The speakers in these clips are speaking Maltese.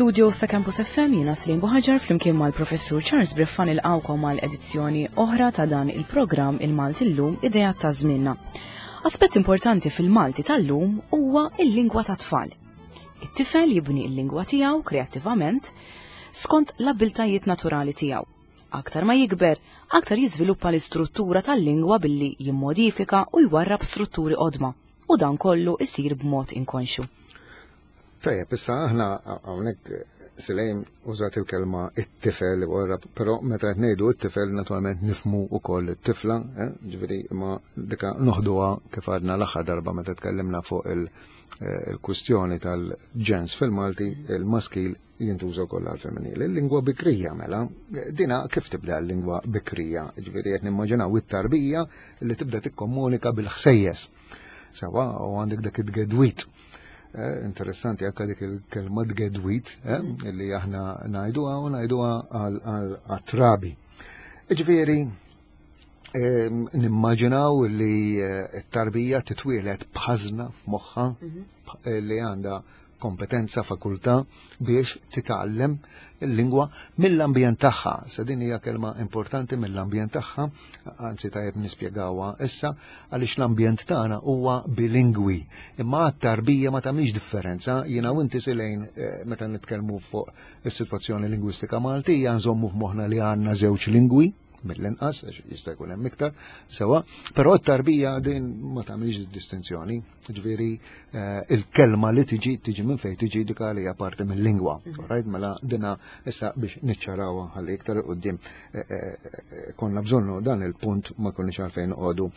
Mill-studio sa Campus FM jiena Slim Buħaġar flimkien mal-Professur Charles Briffa nilqawkom għal edizzjoni oħra ta' dan il-programm Il-Malti llum idea ta' żmienna. Aspett importanti fil-Malti tal-lum huwa il-lingwa ta' tfal. It-tifel jibni l-lingwa tiegħu kreattivament skont l-abbiltajiet naturali tiegħu. Aktar ma jikber, aktar jiżviluppa l-istruttura tal-lingwa billi jimmodifika u jwarrab strutturi qodma u dan kollu isir b'mod inkonxu. Tajjeb, issa aħna hawnhekk Silejn użat il-kelma it-tifel, però meta qed ngħidu it-tifel naturalment nifmu wkoll it-tifla, eh, ġifieri ma dika noħduha kif għadna l-aħħar darba meta tkellimna fuq eh, il-kwistjoni tal-ġens fil-Malti, il-maskil jintuża wkoll għal-femminili. Il-lingwa bikrija mela, dina kif tibda l-lingwa bikrija, ġifieri qed nimmaġinaw it-tarbija li tibda tikkomunika bil-ħsejjes. Sawa, u għandek dak it-gedwit Eh, interessanti anka dik il-kelma tgedwit eh, mm. li aħna ngħiduha u ngħiduha għal-trabi. Ġifieri ehm, nimmaġinaw li eh, t-tarbija titwielet b'ħażna f'moħħa mhm. li għandha kompetenza, fakultà biex titgħallem il-lingwa mill-ambjent tagħha. Sa din hija kelma importanti mill-ambjent tagħha, anzi tajjeb nispjegawha issa, għaliex l-ambjent tagħna huwa bilingwi. Imma għat-tarbija ma tagħmilx differenza, jiena u inti silejn eh, meta nitkellmu fuq is-sitwazzjoni lingwistika Maltija nżommu f'moħħna li għandna żewġ lingwi, mill-inqas, jista' jkun hemm iktar, sewa, però t-tarbija din ma tagħmilx distinzjoni, ġifieri eh, il-kelma li tiġi tiġi minn fejn tiġi dik hija parti mill-lingwa. Mhm. Right? Mela dina issa biex niċċarawha ħalli iktar qudiem eh, eh, konna bżonnu dan il-punt ma konniex għalfejn noqogħdu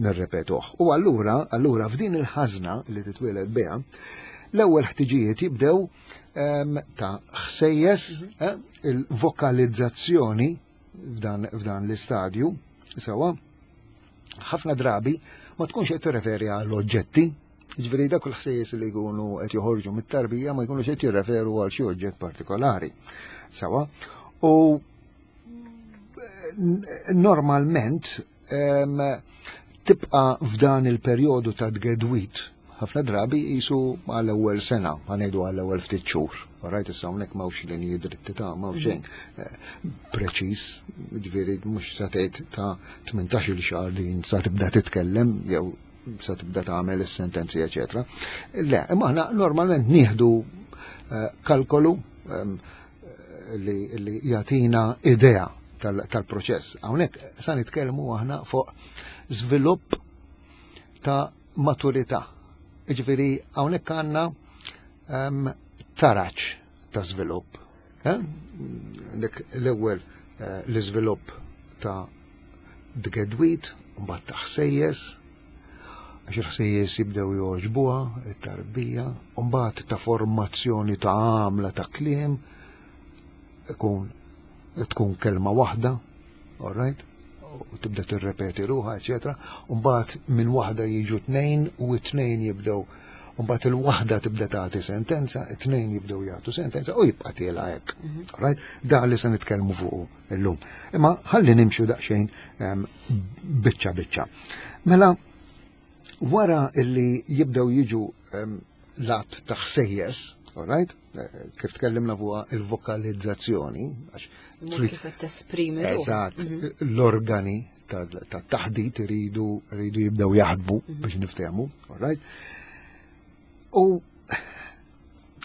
nirrepetuh. U allura, allura f'din il-ħażna li titwieled biha, l-ewwel ħtiġijiet jibdew ehm, ta' ħsejjes mhm. il-vokalizzazzjoni f'dan, f'dan l-istadju, sewa, ħafna drabi ma tkunx qed tirreferi għal oġġetti, ġifieri dak il-ħsejjes li jkunu qed joħorġu mit-tarbija ma jkunux qed jirreferu għal xi oġġett partikolari. Sewa, u normalment tibqa f'dan il-perjodu ta' tgedwit ħafna drabi jisu għall-ewwel sena, ħanejdu għall-ewwel ftit xhur. Rajt issa hawnhekk m'hawnx linji dritti ta' m'hawn xejn eh, preċiż, ġifieri mhux sa tgħid ta' 18-il xahar din sa tibda titkellem jew sa tibda tagħmel is-sentenzi eċetera. Le, imma aħna normalment nieħdu eh, kalkolu ehm, li, li jagħtina idea tal-proċess. Hawnhekk sa nitkellmu aħna fuq żvilupp ta' maturità. Jiġifieri hawnhekk għandna ehm, taraġ ta' żvilupp. Eh? Dik l-ewwel eh, l-iżvilupp ta' dgedwit, mbagħad ta' ħsejjes, għax il-ħsejjes jibdew jogħġbuha, it-tarbija, u mbagħad ta' formazzjoni ta' għamla ta' kliem, ikun tkun kelma waħda, all right? U tibda tirrepeti ruħha, eċetera. U mbagħad minn waħda jiġu tnejn u t-tnejn jibdew u mbagħad il-waħda tibda tagħti sentenza, it-tnejn jibdew jagħtu sentenza u jibqa' tiela hekk. Mhm. Right? Da li se nitkellmu fuq illum. Imma ħalli nimxu daqsxejn ehm, biċċa biċċa. Mela wara illi jibdew jiġu ehm, lat ta' ħsejjes, all right? Eh, kif tkellimna fuq il-vokalizzazzjoni, għax kif qed tesprimi. Eżatt, mhm. l-organi tat-taħdit iridu iridu jibdew jaħdmu mhm. biex niftehmu, all right? U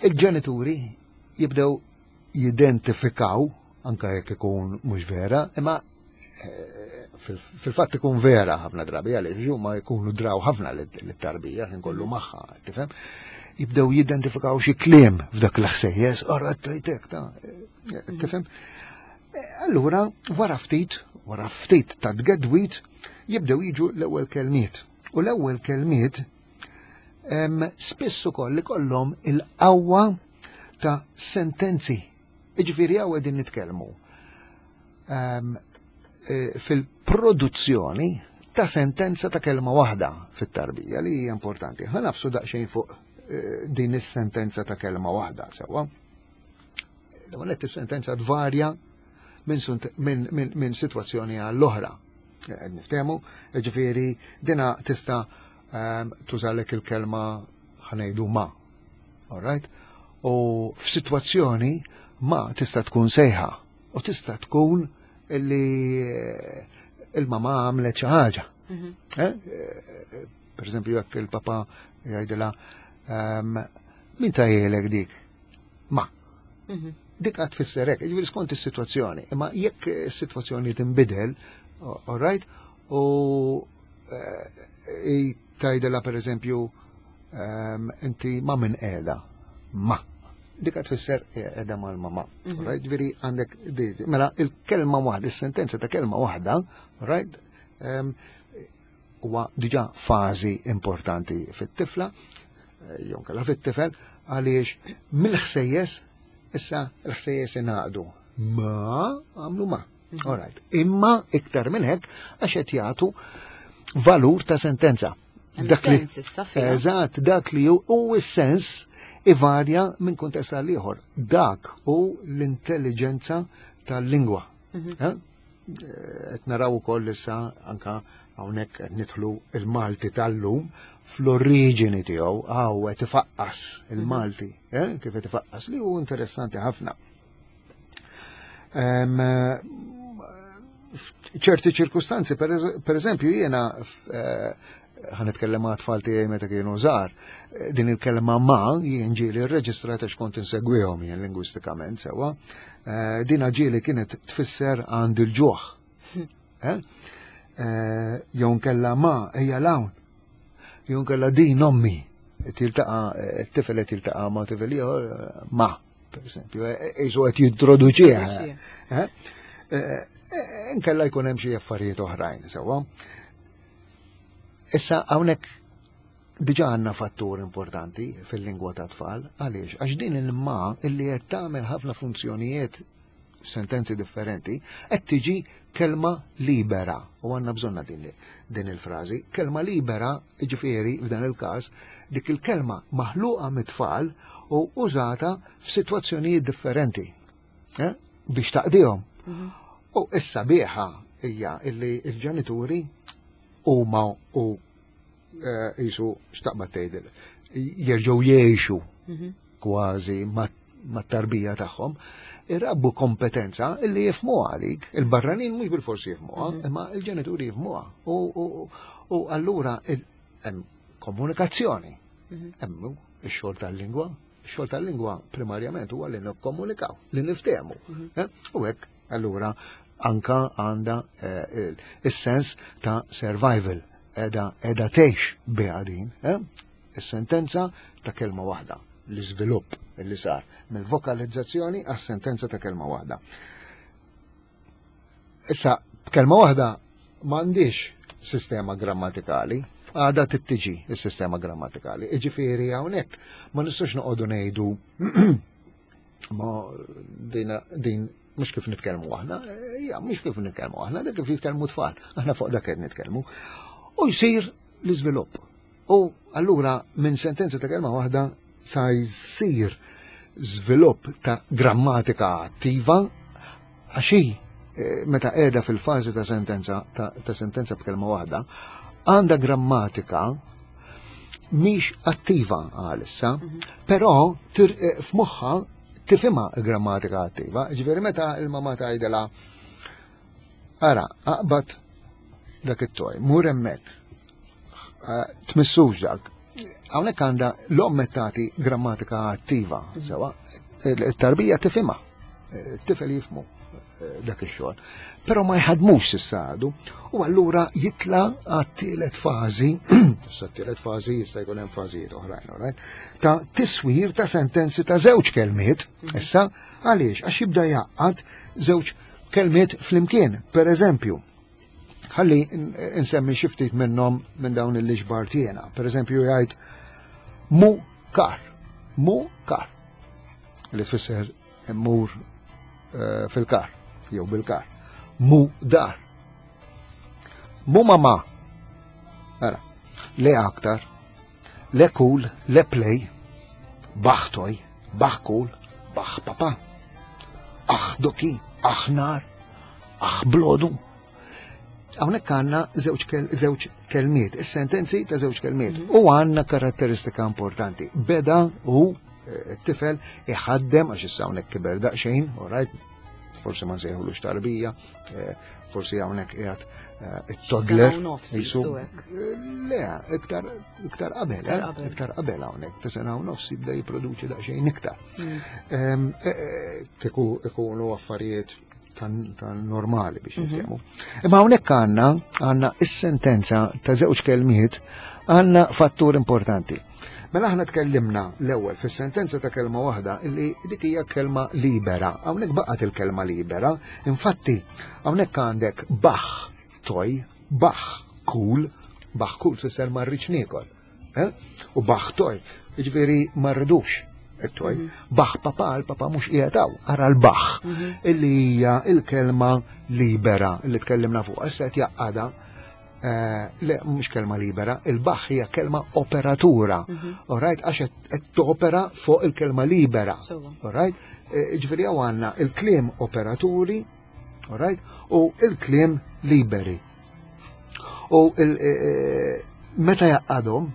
il-ġenituri jibdew jidentifikaw anka jekk ikun mhux vera, imma eh, fil-fatt ikun vera ħafna drabi għaliex huma jkunu draw ħafna lit-tarbija ħin kollu mm. magħha, tifhem? Jibdew jidentifikaw xi kliem f'dak l-ħsejjes, ora tajtek ta' eh, tifhem? Eh, allura, wara ftit, wara ftit ta' tgedwit, jibdew jiġu l-ewwel kelmiet. U l-ewwel kelmiet spiss ukoll ikollhom il-qawwa ta' sentenzi. Iġifieri hawn qegħdin nitkellmu ehm, e, fil-produzzjoni ta' sentenza ta' kelma waħda fit-tarbija li hija importanti. Ħa nafsu daqsxejn fuq e, din is-sentenza ta' kelma waħda sewwa. L-ewwel is-sentenza tvarja minn min, min, sitwazzjoni għall-oħra. Qed niftehmu, ġifieri dina tista' ehm, tużalek il-kelma ħanejdu ma. All right? U f'sitwazzjoni ma tista' tkun sejħa u tista' tkun illi eh, il-mama għamlet xi ħaġa. Mhm. Eh, eh, per eżempju, jekk il-papa jgħidilha ehm, min tajjelek dik? Ma. Mhm. Dik għad tfisser hekk, jiġifieri skont is-sitwazzjoni. Imma jekk is-sitwazzjoni tinbidel, all right, u eh, tgħidilha pereżempju ehm, inti ma minn qiegħda. Ma. Dik għad tfisser qiegħda mal-mama. Mhm. Right, ġifieri għandek mela il-kelma waħda, is-sentenza ta' kelma waħda, right, ehm, huwa diġà fażi importanti fit-tifla, eh, jew nkella fit-tifel, għaliex mill-ħsejjes issa l-ħsejjes ingħaqdu. Ma għamlu ma. Mhm. All right. Imma iktar minn hekk għax qed jagħtu valur ta' sentenza. Dak li Eżatt, dak li hu s-sens ivarja minn kuntest għal ieħor. Dak hu l-intelligenza tal-lingwa. Mhm. Eh? Qed naraw ukoll issa anka hawnhekk qed nidħlu il-Malti tal-lum fl-oriġini tiegħu hawn qed ifaqqas il-Malti, eh, kif qed ifaqqas li hu interessanti ħafna. Ċerti ċirkustanzi, per eżempju, jiena eh, ħa nitkellem ma' tfal tiegħi meta kienu żgħar, eh, din il-kelma ma jien ġieli rreġistrata x'kont insegwihom jien lingwistikament sewwa. Eh, din ġieli kienet tfisser għand il-ġuħ. Eh? Jew nkella ma ejja l-hawn. Jew nkella din ommi tiltaqa' t-tifel qed jiltaqa' ma' tifel ieħor ma, per esempio, jisu qed jintroduċiha. Nkella jkun hemm xi affarijiet oħrajn sewwa. Issa hawnhekk diġà għandna fattur importanti fil-lingwa ta' tfal, għaliex? Għax din il-ma illi qed tagħmel ħafna funzjonijiet sentenzi differenti, qed tiġi kelma libera. U għandna bżonna din, din il-frażi. Kelma libera, ġifieri f'dan il-każ, dik il-kelma maħluqa mit-tfal u użata f'sitwazzjonijiet differenti eh, biex taqdihom. Mhm. U issa biħa hija illi il-ġenituri huma u eh, jisu xtaqbad tgħidil jerġgħu jgħixu mhm. kważi mat-tarbija tagħhom, irabbu kompetenza illi jifmuha dik. Il-barranin mhux bil-forsi jifmuha, mhm. imma il-ġenituri jifmuha. U allura hemm komunikazzjoni. Mhm. Hemm ix-xogħol tal-lingwa. Ix-xogħol tal-lingwa primarjament huwa li nikkomunikaw, li niftehmu. Eh? U hekk allura anka għandha eh, is-sens ta' survival edha edha tgħix biha din, eh? Is-sentenza ta' kelma waħda, l-iżvilupp li sar mill-vokalizzazzjoni għas-sentenza ta' kelma waħda. Issa, b'kelma waħda m'għandix sistema grammatikali, għada tittiġi is-sistema grammatikali. Iġifieri hawnhekk ma nistgħux noqogħdu ngħidu ma din, din mhux kif nitkellmu aħna, ja mhux kif nitkellmu aħna, dak kif jitkellmu tfal, aħna fuq dak qed nitkellmu. U jsir l-iżvilupp. U allura minn sentenza ta' kelma waħda sa jsir żvilupp ta' grammatika attiva għax hi eh, meta qiegħda fil-fażi ta' sentenza ta', ta sentenza b'kelma waħda għandha grammatika mhix attiva għalissa, mhm. però eh, f'moħħa tifhimha l-grammatika attiva. Ġifieri meta il-mama tgħidilha ara, aqbad dak it-toj, mur hemmhekk, eh, tmissux dak. Hawnhekk għandha l-omm qed tagħti grammatika attiva, mhm. sewa, it-tarbija tifhimha, eh, it-tifel jifhmu dak ix-xogħol. Però ma jħadmux s'issa għadu u allura jitla għat-tielet fażi, issa t-tielet fażi jista' jkun hemm fażijiet oħrajn, right? Ta' tiswir ta' sentenzi ta' żewġ kelmiet, mhm. issa għaliex għax jibda jgħaqqad żewġ kelmiet flimkien. Per eżempju, ħalli nsemmi xi ftit minnhom minn dawn il-liġbar tiegħna. Per eżempju jgħid mu kar, mu kar li tfisser immur eh, fil-kar, jew bil-kar. Mu dar. Mu mama. Ara, le aktar, le cool, le play, baħtoj, baħ cool, baħ papa. Aħ doki, aħ nar, aħ blodu. Hawnhekk għandna żewġ kelmiet, is-sentenzi ta' żewġ kelmiet. Mhm. U għandna karatteristika importanti. Beda u it-tifel iħaddem għax issa hawnhekk kiber daqsxejn, alright, forsi ma nsejħulux tarbija, eh, forsi hawnhekk qiegħed eh, it-toddler. Le, iktar iktar qabel, eh, iktar qabel hawnhekk, ta' sena u nofs jibda jipproduċi daqsxejn iktar. Mm. Ehm, kieku ikunu affarijiet ta' normali biex mhm. niftehmu. Imma hawnhekk għandna għandna is-sentenza ta' żewġ kelmiet għandna fattur importanti. Mela aħna tkellimna l-ewwel fis-sentenza ta' kelma waħda illi dik hija kelma libera. Hawnhekk baqgħet il-kelma libera, infatti hawnhekk għandek baħ toj, baħ kul, baħ kul tfisser ma rridx niekol. Eh? U baħ toj, jiġifieri ma rridux it-toj. Mhm. Baħ papa, l-papa mhux qiegħed hawn, ara l-baħ mhm. illi hija il-kelma libera li tkellimna fuq. Issa qed jaqgħada eh, le mhux kelma libera, il-baħ hija kelma operatura. Mhm. Alright, għax qed topera fuq il-kelma libera. Alright? Eh, ġifieri hawn għandna il-kliem operaturi, alright, u il-kliem liberi. U eh, meta jaqqadhom,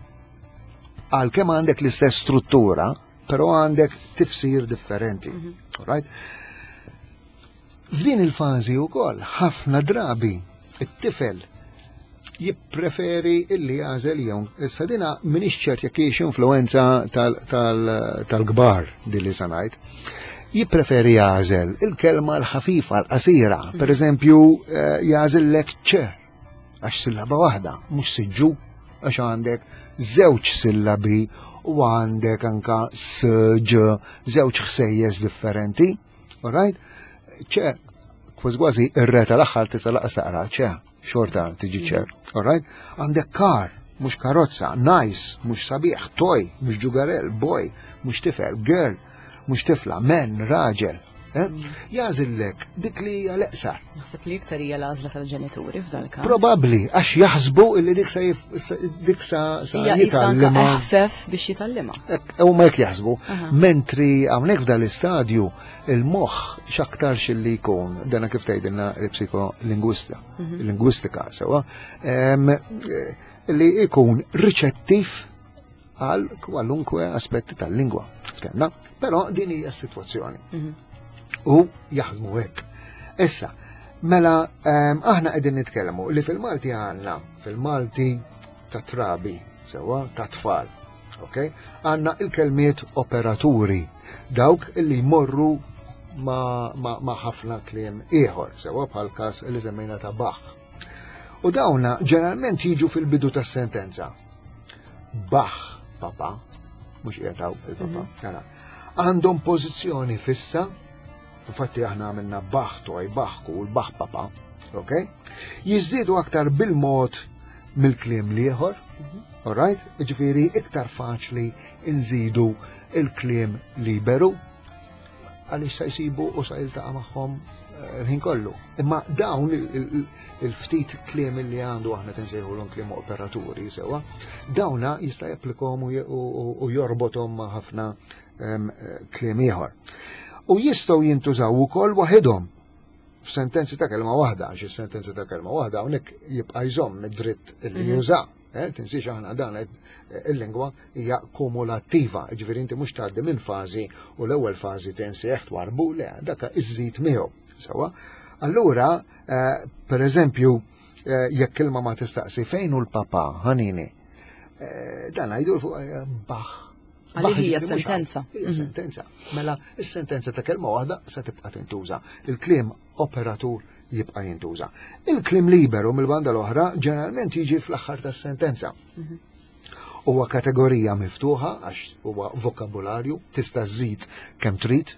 għalkemm għandek l-istess struttura, però għandek tifsir differenti. Mhm. Right? F'din il-fażi wkoll ħafna drabi it-tifel jippreferi illi jagħżel jew issa dina m'iniex ċert jekk hiex influenza tal-kbar din li se ngħid. Jippreferi jagħżel il-kelma l-ħafifa l-qasira, mhm. per eżempju eh, jagħżel lek ċe għax sillaba waħda, mhux siġġu għax għandek żewġ sillabi u għandek anka s ġ żewġ ħsejjes differenti. Alright? ċe, kważi kważi ir-re tal-aħħar tista' laqas taqra ċe, xorta tiġi ċe. Alright? Għandek kar, mhux karozza, nice, mhux sabiħ, toy, mhux ġugarel, boy, mhux tifel, girl, mhux tifla, men, raġel. Eh? Jażillek dik li hija l-eqsar. Naħseb li iktar hija l-għażla tal-ġenituri f'dan il-każ. Probabbli, għax jaħsbu illi dik sa dik sa jitgħallimha. Eħfef biex jitgħallimha. Huma hekk jaħsbu. Mentri hawnhekk f'dan l-istadju il-moħħ x'aktarx li jkun, dana kif tgħidilna il-psikolingwista, mhm. lingwistika sewwa, eh, li jkun riċettiv għal kwalunkwe aspetti tal-lingwa. Ftemna, però din hija s-sitwazzjoni. Mhm. U jaħdmu hekk. Issa, mela aħna qegħdin nitkellmu li fil-Malti għandna fil-Malti ta' trabi, sewwa ta' tfal. Ok? Għandna il-kelmiet operaturi, dawk li jmorru ma, ma, ma ħafna kliem ieħor, sewwa bħal każ li semmejna ta' Bach. U dawna ġeneralment jiġu fil-bidu tas-sentenza. Baħ papa, mhux qiegħed il-papa, mhm. Għandhom pożizzjoni fissa, infatti aħna għamilna baħ toj, baħ kul, baħ papa, ok? Jiżdiedu aktar bil-mod mill-kliem liħor, mhm. alright? Ġifieri iktar faċli nżidu il-kliem liberu għaliex sa jsibu u sa jiltaqa' magħhom eh, l-ħin kollu. Imma dawn il-ftit kliem li għandu aħna tinsejħulhom kliem operaturi sewa, dawna jista' japplikhom u jorbothom ma' ħafna ehm, kliem ieħor. U jistgħu jintużaw ukoll waħedhom f'sentenzi ta' kelma waħda, għax is-sentenzi ta' kelma waħda hawnhekk jibqa' jżomm id-dritt li mhm. juża. Eh, tinsiex aħna dan eh, il-lingwa hija kumulattiva, ġifieri inti mhux tgħaddi minn fażi u l-ewwel fażi tinsieħ twarbu le, dak iżżid miegħu. Sewwa. Allura, eh, per eżempju, jekk kelma ma tistaqsi fejn hu l-papa ħanini, dan għajdu fuq baħ. Għalli hija sentenza. Hija mhm. sentenza. Mela, is-sentenza ta' kelma waħda se tibqa' tintuża. Il-kliem operatur jibqa' jintuża. Il-kliem liberu mill-banda l-oħra ġeneralment jiġi fl-aħħar tas-sentenza. Mhm. Huwa kategorija miftuħa għax huwa vokabularju, tista' żżid kemm trid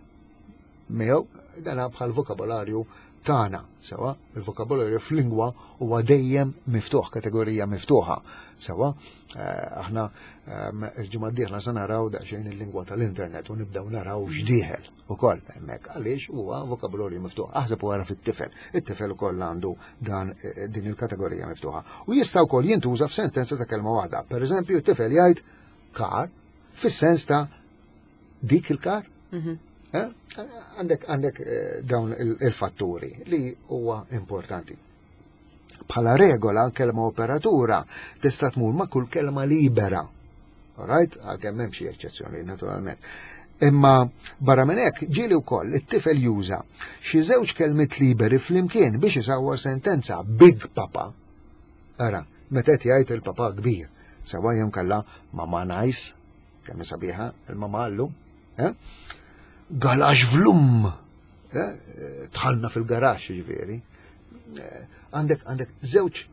miegħu, dan bħal vokabularju tagħna, sewa, il-vokabularju fl-lingwa huwa dejjem miftuħ, kategorija miftuħa, sewa, eh, aħna ehm, il-ġimgħa d-dieħla se naraw daqsxejn il-lingwa tal-internet u nibdew naraw x'dieħel. Ukoll hemmhekk għaliex huwa vokabularju miftuħ. Aħseb wara fit-tifel. It-tifel ukoll għandu dan eh, din il-kategorija miftuħa. U jista' wkoll jintuża f'sentenza ta' kelma waħda. Per eżempju, it-tifel jgħid kar fis-sens ta' dik il-kar. Mhm. Eh? Għandek għandek eh, dawn il-fatturi li huwa importanti. Bħala regola, kelma operatura tista' tmur ma' kull kelma libera. Alright? Għalkemm hemm xi eċċezzjoni naturalment. Imma barra minn hekk ġieli wkoll it-tifel juża xi żewġ kelmiet liberi flimkien biex isawwar sentenza big papa. Ara, meta qed jgħid il-papa kbir, sewa jew kalla mama nice, kemm sabiħa il-mama llum, eh? Galax vlum, eh? Tħallna fil-garax ġifieri. Eh, għandek għandek żewġ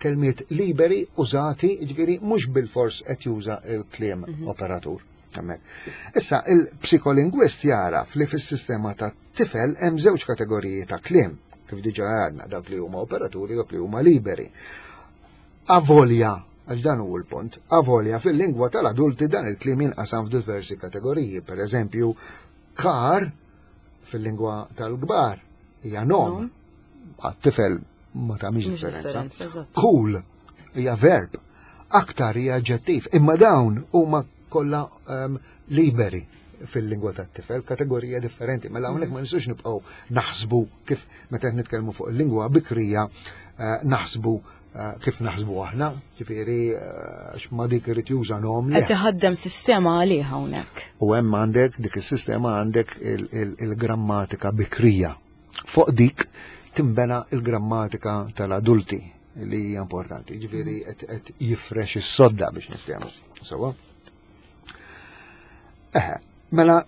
kelmiet liberi użati, ġifieri mhux bil-fors qed juża il-kliem mhm. operatur. Issa, il-psikolingwist jaraf li fis-sistema ta' tifel hemm żewġ kategoriji ta' kliem, kif diġa għadna, dawk li huma operaturi, dawk li huma liberi. Avolja, għax dan hu l-punt, avolja fil-lingwa tal-adulti dan il-kliem jinqasam f'diversi kategoriji, per eżempju, kar fil-lingwa tal-kbar hija nom, għat-tifel ma tagħmilx differenza. Cool hija verb, aktar hija aġġettiv, imma dawn huma kollha um, liberi fil-lingwa tat-tifel, kategorija differenti. Mela hawnhekk ma nistgħux nibqgħu naħsbu kif meta qed nitkellmu fuq il-lingwa bikrija eh, naħsbu eh, kif naħsbu aħna, ġifieri eh, għax ma dik irid juża nom. Qed iħaddem sistema għalih hawnhekk. U hemm għandek dik is-sistema għandek il-grammatika bikrija. Fuq dik timbena il-grammatika tal-adulti li hija importanti, ġifieri qed jifrex is-sodda biex niftehmu. Sewa? Eħe, mela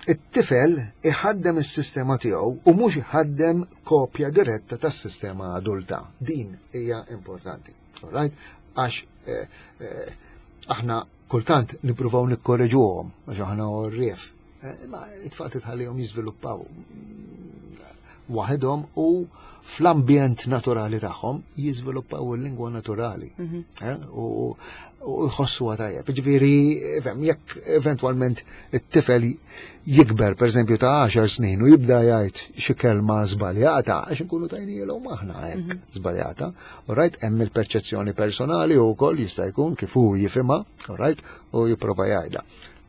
it-tifel iħaddem is-sistema tiegħu u mhux iħaddem kopja diretta tas-sistema adulta. Din hija importanti. Alright? Għax eh, eh, aħna kultant nippruvaw nikkoreġuhom għax aħna għorrief. Eh, ma it-tfal titħallihom jiżviluppaw waħedhom u fl-ambjent naturali tagħhom jiżviluppaw il-lingwa naturali. Mhm. Eh, u jħossu tajjeb. Ġifieri, jekk eventwalment it-tifel jikber, per eżempju, ta' 10 snin u jibda jgħid xi kelma żbaljata, għax inkunu tajnielhom aħna hekk mhm. żbaljata. Right, hemm il-perċezzjoni personali u wkoll jista' jkun kif hu jifhimha, right, u jipprova jgħidha.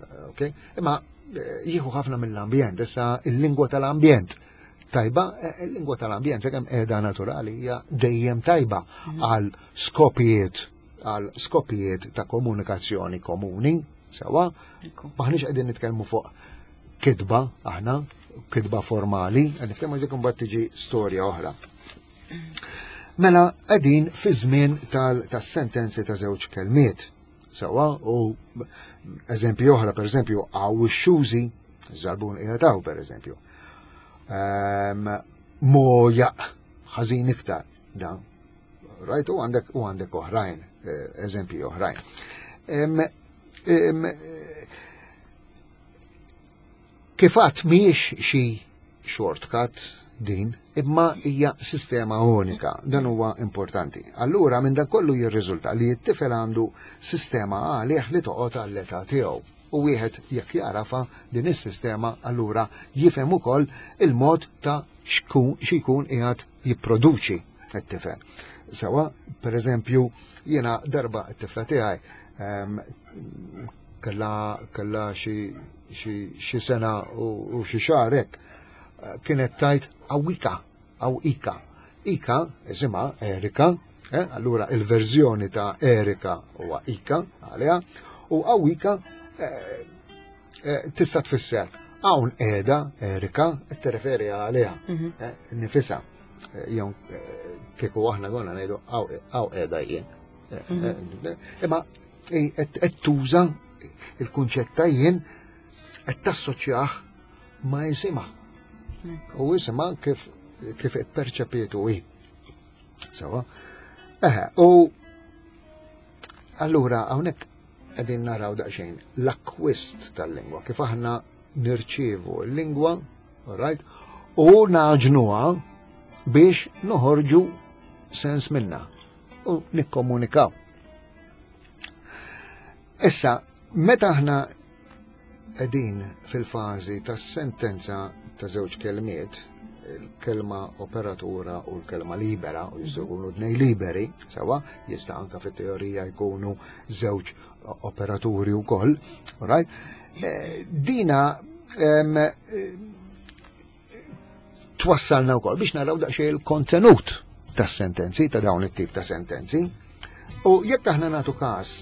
Eh, okay? Imma eh, jieħu ħafna mill-ambjent, issa il-lingwa tal-ambjent. Tajba, eh, il-lingwa tal-ambjent, sakemm qiegħda naturali hija dejjem tajba mhm. għal skopijiet għal skopijiet ta' komunikazzjoni komuni, sewa, maħniex qegħdin nitkellmu fuq kitba aħna, kitba formali, qed nitkellmu dik imbagħad tiġi storja oħra. Mela qegħdin fi żmien tas-sentenzi ta' żewġ kelmiet. Sewa, u eżempju oħra, per eżempju, għaw ix-xużi, żarbun qiegħed hawn, per eżempju. Ehm, Mojaq, ħażin iktar, dan. Rajt, u għandek u għandek oħrajn, eh, eżempji oħrajn. Ehm, ehm, Kif għadt mhijiex xi shortcut din, imma hija sistema unika, dan huwa importanti. Allura minn dan kollu jirriżulta li t-tifel għandu sistema għalih li toqgħod għall-età tiegħu. U wieħed jekk jarafa din is-sistema allura jifhem ukoll il-mod ta' x'ikun qiegħed jipproduċi t-tifel. Sewa, per eżempju, jiena darba t-tifla tiegħi ehm, kella kella xi sena u xi xahar hekk eh, kienet tajt awika aw ika. Ika isimha Erika, eh, allura il-verżjoni ta' Erika huwa Ika għaliha, u awika eh, eh, tista' tfisser hawn qiegħda Erika qed tirreferi għaliha mhm. eh, nifisha eh, jew kieku aħna konna ngħidu hawn qiegħda jien. Mhm. Imma qed tuża il-kunċett ta' jien qed tassoċjah ma' isimha. U isimha kif kif ipperċepietu hi. Sawa. Eħe, u allura hawnhekk qegħdin naraw daqsxejn l-akkwist tal-lingwa, kif aħna nirċievu l-lingwa, right, u naġnuha biex noħorġu sens minna u nikkomunikaw. Issa, meta aħna qegħdin fil-fażi tas-sentenza ta' żewġ kelmiet, il-kelma operatura u l-kelma libera, u jistgħu jkunu tnej liberi, sewa, jista' anka fit-teorija jkunu żewġ operaturi wkoll, right? Eh, dina eh, twassalna wkoll biex naraw daqsxejn il-kontenut tas-sentenzi, ta' dawn it-tip ta' sentenzi. U jekk aħna nagħtu każ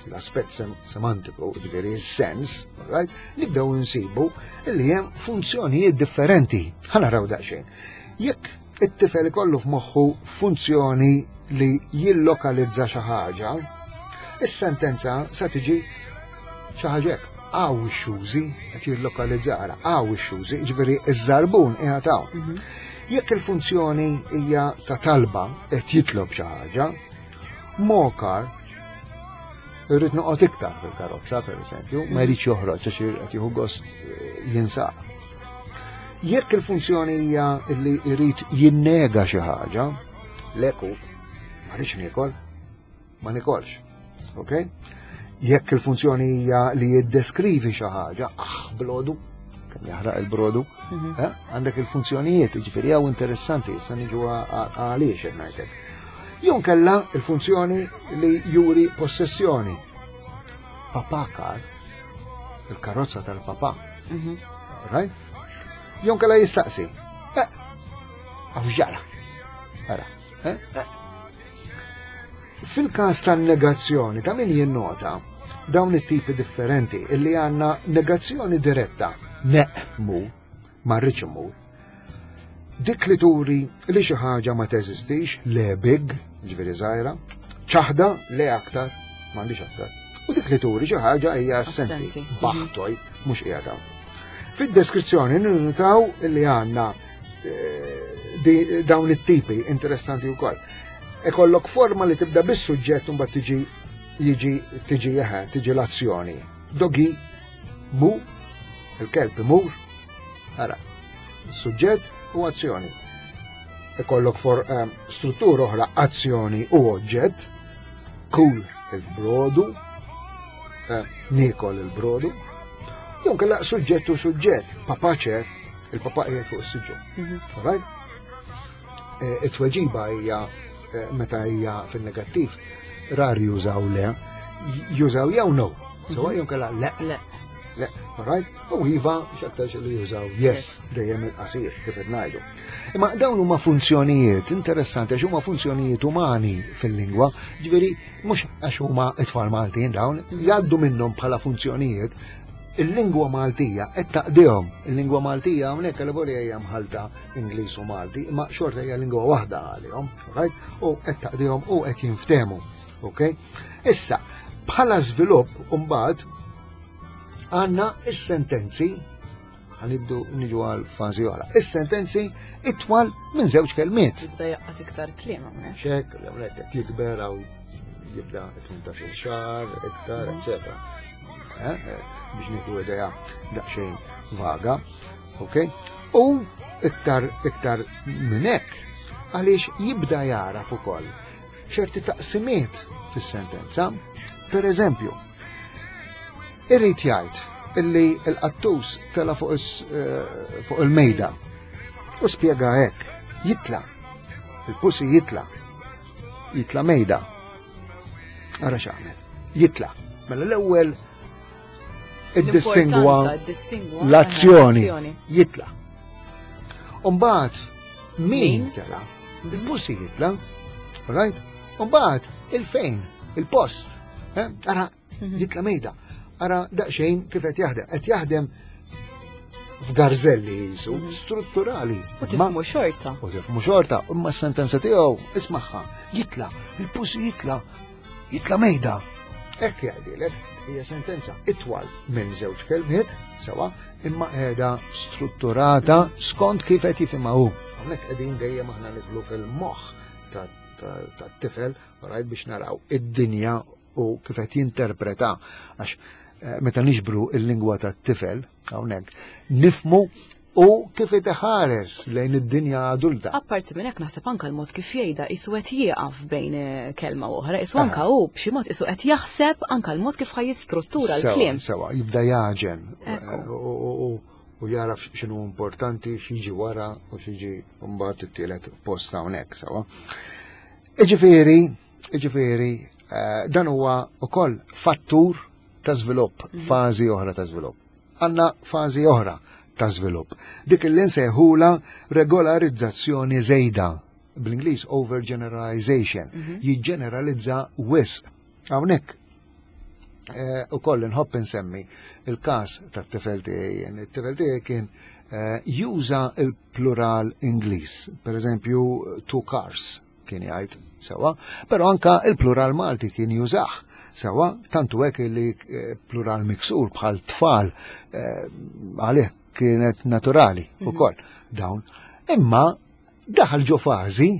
l-aspett semantiku, ġifieri s-sens, right, nibdew insibu li hemm funzjonijiet differenti. Ħa naraw daqsxejn. Jekk it-tifel ikollu f'moħħu funzjoni li jillokalizza xi ħaġa, is-sentenza sa tiġi xi ħaġa hekk. Hawn ix-xużi qed jillokalizza ara, hawn ix-xużi, ġifieri iż-żarbun qiegħed hawn. Jekk il-funzjoni hija ta' talba qed jitlob xi ħaġa, more car irrid noqgħod iktar fil-karozza, per eżempju, ma jridx joħroġ għax qed jieħu gost jinsaq. Jekk il-funzjoni hija li jrid jinnega xi ħaġa, leku, ma rridx niekol, ma nikolx. Ok? Jekk il-funzjoni hija li jiddeskrivi xi ħaġa, ah, blodu, kemm jaħraq il-brodu, eh? Għandek il-funzjonijiet, jiġifieri hawn interessanti, issa niġu għaliex qed ngħidlek. Jew kella il-funzjoni li juri possessjoni. Papa car, il-karozza tal-papa. Right? Jew kella jistaqsi. Eh, għax ġara. Ara, eh, eh. Fil-każ tan-negazzjoni, ta' min jinnota dawn it-tipi differenti illi għandna negazzjoni diretta, neqmu, ma rridx immur. Dik li turi li xi ħaġa ma teżistix, le big, ġifieri żgħira, ċaħda le aktar, m'għandix aktar. U dik li turi xi ħaġa hija assenti, Assenti. baħtoj, mhux qiegħda. Fid-deskrizzjoni ninnotaw li għandna dawn it-tipi interessanti wkoll. Ikollok forma li tibda bis-suġġett u mbagħad tiġi jiġi tiġi eħe, tiġi l-azzjoni. Dogi mu, il-kelb imur, ara, suġġett u azzjoni. Ikollok for struttura oħra azzjoni u oġġett, kul il-brodu, niekol il-brodu, jew kellha suġġett u suġġett, papa ċer, il-papa qiegħed fuq is-siġġu. Right? It-tweġiba hija meta hija fin-negattiv, rari jużaw le, jużaw jew no, sewa jew kellha le. Le. Le, right? U iva, x'aktarx li jużaw yes, dejjem il-qasir, kif qed ngħidu. Imma dawn huma funzjonijiet interessanti għax huma funzjonijiet umani fil-lingwa, ġifieri mhux għax huma it-tfal Maltin dawn, jgħaddu minnhom bħala funzjonijiet. Il-lingwa Maltija qed taqdihom. Il-lingwa Maltija hawnhekk għal hija mħalta Ingliż u Malti, imma xorta hija lingwa waħda għalihom, right? U qed taqdihom u qed jinftehmu, ok? Issa, bħala żvilupp mbagħad għandna is-sentenzi, ħanibdu niġu għal fażi oħra. Is-sentenzi itwal minn żewġ kelmiet. Jibda jaqgħad iktar kliem hawnhekk. Xek, hawnhekk qed jikber hawn jibda 18-il xahar, iktar, eccetera. Biex nieħdu idea daqsxejn vaga, ok? U iktar minn hekk, għaliex jibda jaraf ukoll ċerti taqsimiet fis-sentenza. Per eżempju, irrid jgħid illi l-qattus tela fuq il-mejda u spjega hekk, jitla, il-pussy jitla, jitla mejda. Ara x'għamel, jitla. Mela l-ewwel iddistingwa L-importanza, iddistingwa l-azzjoni, l-azzjoni. jitla. Umbagħad min Min? tela? Il-pussy jitla, right? Umbagħad il-fejn, il-post. Ara, jitla mejda. Ara daqsxejn kif qed jaħdem. Qed jaħdem f'garzelli jisu, strutturali. U tifhmu xorta. U tifhmu xorta, imma s-sentenza tiegħu ismagħha, jitla, il-pussy jitla, jitla mejda. Hekk jgħidilek, hija sentenza itwal minn żewġ kelmiet, sewa, imma qiegħda strutturata skont kif qed jifhimha hu. Hawnhekk qegħdin dejjem aħna nidħlu fil-moħħ tat-tifel, rajt biex naraw id-dinja u kif qed jinterpreta, għax meta niġbru il-lingwa tat-tifel hawnhekk nifmu u kif qed iħares lejn id-dinja adulta. Apparti minn hekk naħseb anke l-mod kif jgħidha qisu qed jieqaf bejn kelma u oħra, qisu anke hu b'xi mod qisu qed jaħseb anke l-mod kif ħaj jistruttura l-kliem. Sewa, jibda jaġen u jaraf x'inhu importanti, x'jiġi wara u x'jiġi mbagħad it-tielet post hawnhekk, sewa. Iġifieri, dan huwa wkoll fattur ta' żvilupp, fażi oħra ta' żvilupp. Għandna fażi oħra ta' żvilupp. Dik li nsejħula regolarizzazzjoni żejda, bl-Ingliż overgeneralization, jiġġeneralizza wisq. Hawnhekk Eh, u koll nħobb insemmi il-każ tat-tifel tiegħi. It-tifel tiegħi kien eh, juża il-plural Ingliż, per eżempju two cars kien jgħid sewa, però anka il-plural Malti kien jużah sewa, tantu hekk li eh, plural miksur bħal tfal għalih kienet naturali mhm. ukoll dawn. Imma daħal ġo fażi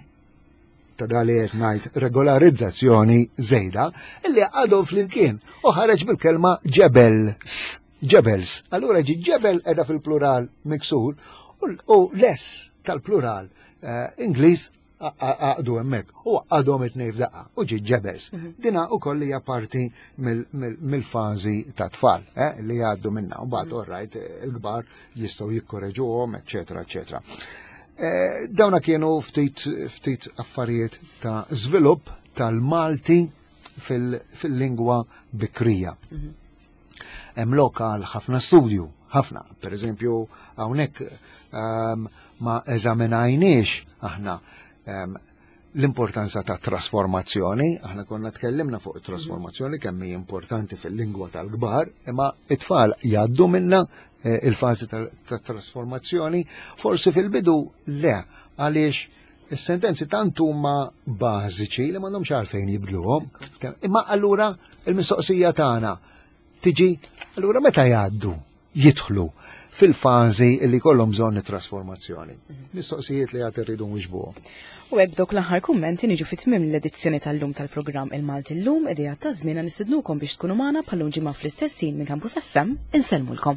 ta' dali qed ngħid regolarizzazzjoni żejda illi għadhom flimkien u ħareġ bil-kelma ġebels. Ġebels. Allura ġi ġebel edha fil-plural miksur u les tal-plural eh, Ingliż għaqdu hemmhekk u għadhom it-tnejn f'daqqa u ġi ġebels. Mhm. Dina ukoll hija parti mill-fażi ta' tfal eh, li jgħaddu minna u bad mhm. orrajt il-kbar jistgħu jikkoreġuhom, eċetera, eċetera. Eh, dawna kienu ftit ftit affarijiet ta' żvilupp tal-Malti fil-lingwa bikrija. Mhm. Hemm lokal ħafna studju, ħafna. Per eżempju, hawnhekk ehm, ma eżaminajniex aħna ehm, l-importanza ta' trasformazzjoni, aħna konna tkellimna fuq trasformazzjoni kemm hi importanti fil-lingwa tal-kbar, imma it-tfal jgħaddu minna eh, il-fażi ta' trasformazzjoni, forsi fil-bidu le, għaliex is-sentenzi tant huma bażiċi li m'għandhomx għalfejn jibdluhom. Imma allura il-mistoqsija tagħna tiġi allura meta jgħaddu jidħlu fil-fażi li kollhom bżonn it-trasformazzjoni. Mhm. Mistoqsijiet li għad irridu nwiġbuhom. U hekk dok l-aħħar kummenti niġu fit-tmiem l-edizzjoni tal-lum tal-programm Il-Malti llum idea ta' żmien nistidnukom biex tkunu magħna bħal ġimgħa fl-istess minn Campus FM insellmulkom.